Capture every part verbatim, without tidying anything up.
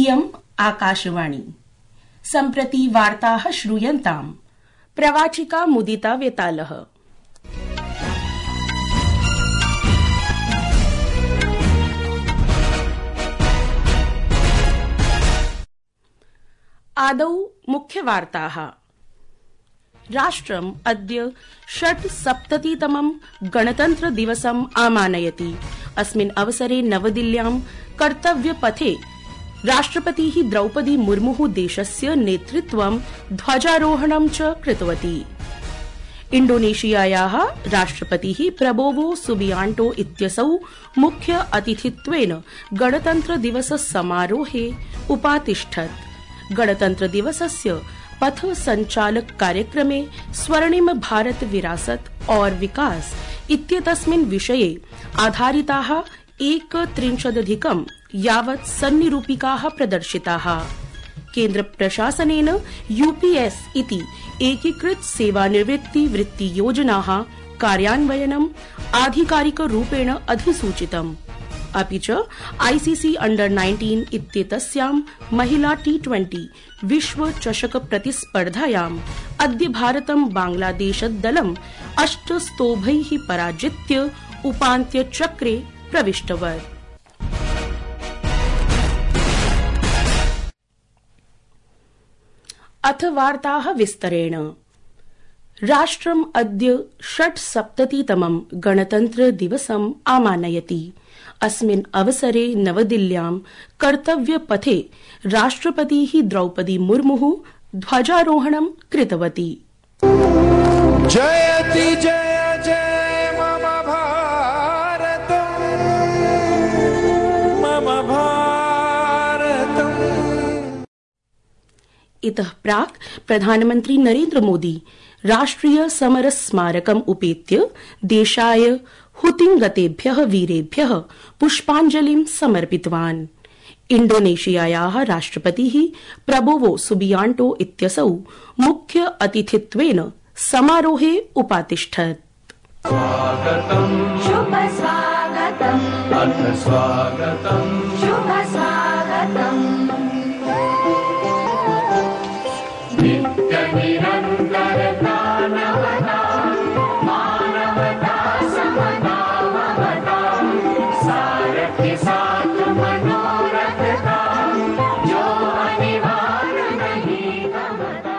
इयम् आकाशवाणी। सम्प्रति वार्ताः श्रूयन्ताम्। प्रवाचिका मुदिता वेतालः। आदौ मुख्यवार्ताः। राष्ट्रम् अद्य षट्सप्ततितमं गणतन्त्र दिवसम् आमानयति। अस्मिन् अवसरे नवदिल्ल्यां कर्तव्यपथे राष्ट्रपतिः द्रौपदी मुर्मुः देशस्य नेतृत्वं ध्वजारोहणं च कृतवती। इण्डोनेशियायाः राष्ट्रपतिः प्रबोवो सुबियांटो इत्यसौ मुख्य अतिथित्वेन गणतन्त्र दिवस समारोहे उपातिष्ठत्। गणतन्त्र दिवसस्य पथ संचालक कार्यक्रमे स्वर्णिम भारत विरासत और विकास इत्येतस्मिन् विषये आधारिताः एकत्रिंशदधिकं यावत् सन्निरूपिकाः प्रदर्शिताः। केन्द्र प्रशासनेन यूपीएस इति एकीकृत सेवानिवृत्ति वृत्ति योजनाः कार्यान्वयनम् आधिकारिकरूपेण अधिसूचितम्। अपि च आईसीसी अंडर नाइन्टीन इत्येतस्यां महिला टी ट्वेंटी विश्व चषक प्रतिस्पर्धायाम् अद्य भारतं बांग्लादेशदलम् अष्ट स्तोभैः पराजित्य उपान्त्यचक्रे प्रविष्टवत्। अथ वार्ताः विस्तरेण। राष्ट्रम् अद्य षट्सप्ततितमं गणतन्त्र दिवसम् आमानयति। अस्मिन् अवसरे नवदिल्ल्यां कर्तव्यपथे राष्ट्रपतिः द्रौपदी मुर्मुः ध्वजारोहणं कृतवती। जयति जय जय मम भारतम् मम भारतम्। इतः प्राक् प्रधानमन्त्री नरेन्द्र मोदी राष्ट्रिय समर स्मारकम् उपेत्य देशाय हुतिंगतेभ्यः वीरेभ्यः पुष्पाञ्जलिं समर्पितवान्। इण्डोनेशियायाः राष्ट्रपतिः प्रबोवो सुबियांटो इत्यसौ मुख्य अतिथित्वेन समारोहे उपातिष्ठत्। स्वागतम् शुभ स्वागतम् अथ स्वागतम् शुभ स्वागतम् नित्य निरन्तर प्राणवता मानवता समता ममता सारथि साथ मनोरथ का जो अनिवार्य नहीं गमता।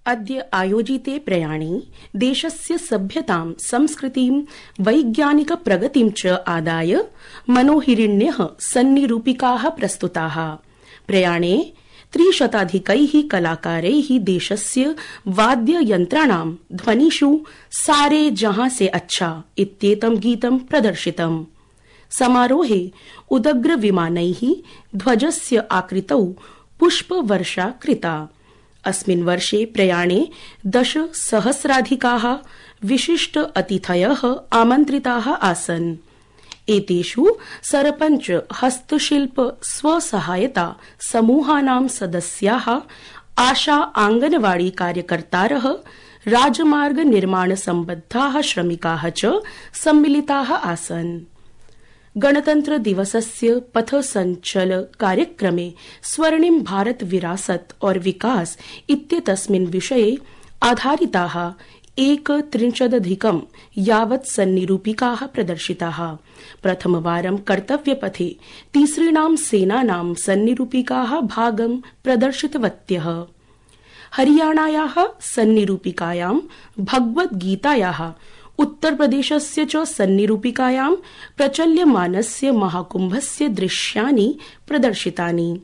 अद्य आयोजिते प्रयाणे देशस्य सभ्यतां संस्कृतिं वैज्ञानिक प्रगतिं च आदाय मनोहिरिण्यः सन्निरूपिकाः प्रस्तुताः। प्रयाणे त्रिशताधिकैः कलाकारैः देशस्य वाद्ययन्त्राणां ध्वनिषु सारे जहां से अच्छा इत्येतं गीतं प्रदर्शितम्। समारोहे उदग्र विमानैः ध्वजस्य आकृतौ पुष्पवर्षा कृता। अस्मिन् वर्षे प्रयाणे दश सहस्राधिकाः विशिष्ट अतिथयः आमन्त्रिताः आसन्। एतेषु सरपंच हस्तशिल्प स्वसहायता समूहानां सदस्याः आशा आंगनवाड़ी कार्यकर्तारः राजमार्ग निर्माण सम्बद्धाः श्रमिकाः च सम्मिलिताः आसन्। गणतन्त्र दिवसस्य पथ संचल कार्यक्रमे स्वर्णिम भारत विरासत और विकास इत्येतस्मिन् विषये आधारिताः एकत्रिंशदधिकं यावत् सन्निरूपिकाः प्रदर्शिताः। प्रथमवारं कर्तव्यपथे तीसृणां सेनानां सन्निरूपिकाः भागं प्रदर्शितवत्यः। हरियाणायाः सन्निरूपिकायां भगवद्गीतायाः, उत्तरप्रदेशस्य च सन्निरूपिकायां प्रचल्यमानस्य महाकुम्भस्य दृश्यानि प्रदर्शितानि।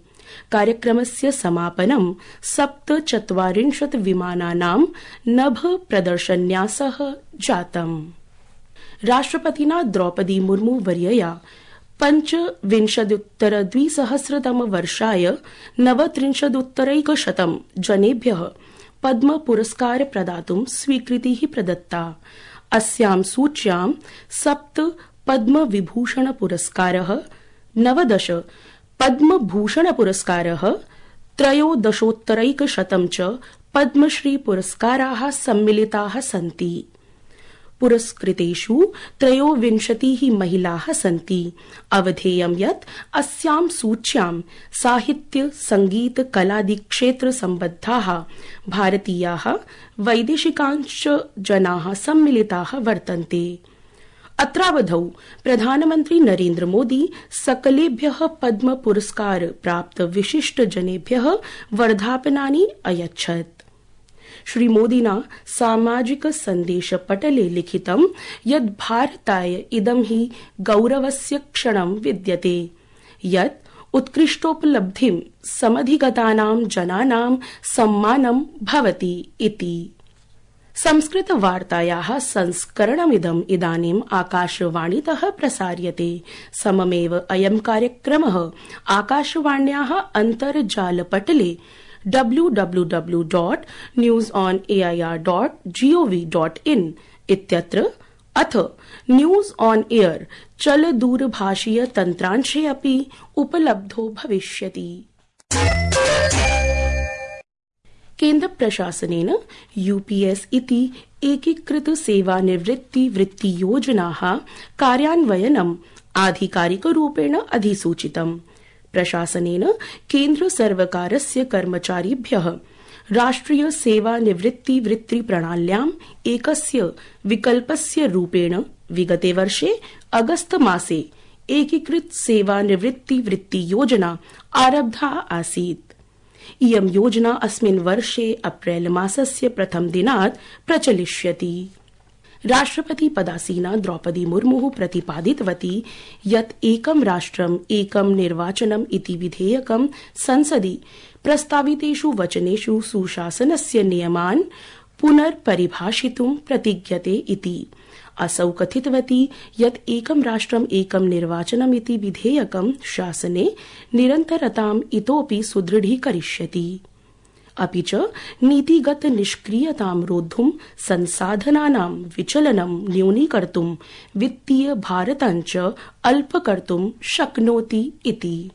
कार्यक्रमस्य समापनं सप्तचत्वारिंशत् विमानानां नभ प्रदर्शन्यासः जातम्। राष्ट्रपतिना द्रौपदी मुर्मू वर्यया पञ्चविंशदुत्तर द्विसहस्रतम वर्षाय नवत्रिंशदुत्तरैकशतं जनेभ्यः पद्म पुरस्कार प्रदातुं स्वीकृतिः प्रदत्ता। अस्यां सूच्यां सप्त पद्म विभूषण पुरस्कारः, नवदश पद्मभूषण पुरस्कारः, त्रयोदशोत्तरैकशतं च पद्मश्री पुरस्काराः सम्मिलिताः सन्ति। पुरस्कृतेषु त्रयोविंशतिः महिलाः सन्ति। अवधेयं यत् अस्यां सूच्यां साहित्य संगीत कलादिक्षेत्र सम्बद्धाः भारतीयाः वैदेशिकांश्च जनाः सम्मिलिताः वर्तन्ते। अत्रावधौ प्रधानमन्त्री नरेन्द्र मोदी सकलेभ्यः पद्म पुरस्कार प्राप्त विशिष्ट जनेभ्यः वर्धापनानि अयच्छत्। श्रीमोदिना सामाजिक सन्देश पटले लिखितं यत् भारताय इदं हि गौरवस्य क्षणं विद्यते यत् उत्कृष्टोपलब्धिं समधिगतानां जनानां सम्मानं भवति इति। संस्कृत वार्तायाः संस्करणमिदम् इदानीम् आकाशवाणीतः प्रसार्यते। सममेव अयं कार्यक्रमः आकाशवाण्याः अन्तर्जालपटले W W W dot news on A I R dot gov dot in इत्यत्र अथ न्यूज ऑन एयर चलदूरभाषीय तन्त्रांशे अपि उपलब्धो भविष्यति। केन्द्र प्रशासनेन यूपीएस इति एकीकृत सेवानिवृत्ति वृत्तियोजनाः कार्यान्वयनम् आधिकारिकरूपेण अधिसूचितम्। प्रशासनेन केन्द्र सर्वकारस्य कर्मचारिभ्यः राष्ट्रिय सेवानिवृत्ति वृत्ति प्रणाल्याम् एकस्य विकल्पस्य रूपेण विगते वर्षे अगस्त मासे एकीकृत सेवानिवृत्ति वृत्तियोजना आरब्धा आसीत्। इयं योजना अस्मिन् वर्षे अप्रैल मासस्य प्रथम दिनात् प्रचलिष्यति। राष्ट्रपति पदासीना द्रौपदी मुर्मु प्रतिपादितवती यत् एकं राष्ट्रम् एकं निर्वाचनम् इति विधेयकं संसदि प्रस्तावितेषु वचनेषु सुशासनस्य नियमान् पुनर्परिभाषितुं प्रतिज्ञते इति। असौ कथितवती यत् एकं राष्ट्रम् एकं निर्वाचनम् इति विधेयकं शासने निरन्तरताम् इतोपि सुदृढीकरिष्यति। अपि च नीतिगत निष्क्रियतां रोद्धुं संसाधनानां विचलनं न्यूनीकर्तुं वित्तीय भारतञ्च अल्पकर्तुं शक्नोति इति।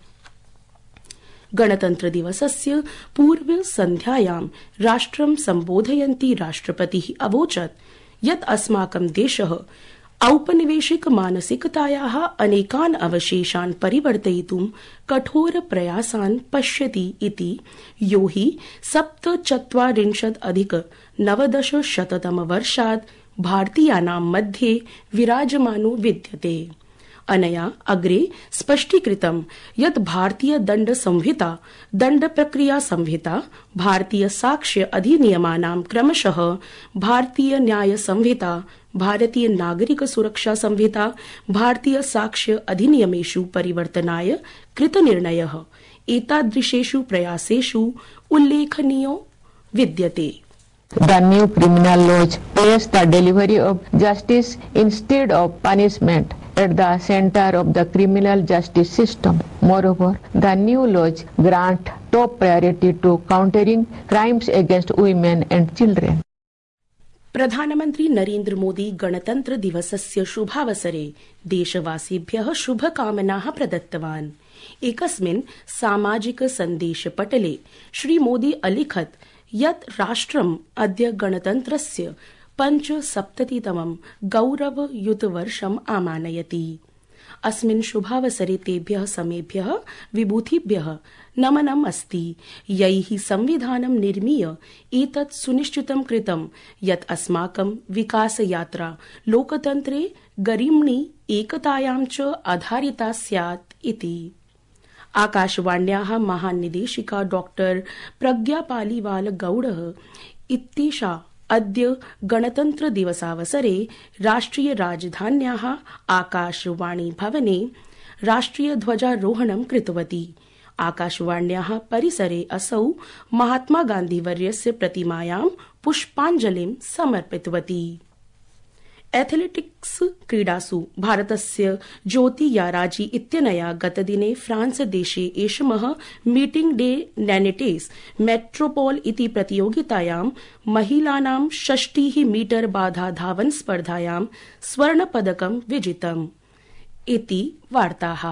गणतन्त्र दिवसस्य पूर्व सन्ध्यायां राष्ट्रं सम्बोधयन्ती राष्ट्रपतिः अवोचत् यत् अस्माकं देशः औपनिवेशिक मानसिकतायाः अनेकान् अवशेषान् परिवर्तयितुं कठोर प्रयासान् पश्यति इति, यो हि सप्तचत्वारिंशत् अधिक नवदश शततम वर्षात् भारतीयानां मध्ये विराजमानो विद्यते। अनया अग्रे स्पष्टीकृतं यत् भारतीय दण्ड संहिता, दण्ड प्रक्रिया संहिता, भारतीय साक्ष्य अधिनियमानां क्रमशः भारतीय न्याय संहिता, भारतीय नागरिक सुरक्षा संहिता, भारतीय साक्ष्य अधिनियमेषु परिवर्तनाय कृतनिर्णयः एतादृशेषु प्रयासेषु उल्लेखनीयो विद्यते। The new criminal laws place the delivery of justice instead of punishment at the center of the criminal justice system. Moreover, the new laws grant top priority to countering crimes against women and children. प्रधानमन्त्री नरेन्द्र मोदी गणतन्त्र दिवसस्य शुभावसरे देशवासिभ्यः शुभकामनाः प्रदत्तवान्। एकस्मिन् सामाजिक सन्देशपटले श्रीमोदी अलिखत् यत् राष्ट्रम् अद्य गणतन्त्रस्य पञ्चसप्ततितमं गौरवयुतवर्षम् आमानयति। अस्मिन् शुभावसरे तेभ्यः समेभ्यः विभूतिभ्यः नमनम् अस्ति, यैः संविधानं निर्मीय एतत् सुनिश्चितं कृतं यत् अस्माकं विकासयात्रा लोकतन्त्रे गरिम्णि एकतायां च आधारिता स्यात् इति। आकाशवाण्याः महानिदेशिका डॉक्टर प्रज्ञा पालीवाल गौड़ः इत्येषा अद्य गणतन्त्र दिवसावसरे राष्ट्रिय राजधान्याः आकाशवाणी भवने राष्ट्रिय ध्वजारोहणं कृतवती। आकाशवाण्याः परिसरे असौ महात्मा गान्धीवर्यस्य प्रतिमायां पुष्पाञ्जलिं समर्पितवती। एथलेटिक्स क्रीडासु भारतस्य ज्योति याराजी इत्यनया गतदिने फ्रांस देशे एषमः मीटिंग डे नैनेटेस् मेट्रोपोल इति प्रतियोगितायां महिलानां षष्टिः मीटर बाधा धावन स्पर्धायां स्वर्णपदकं विजितम् इति वार्ताः।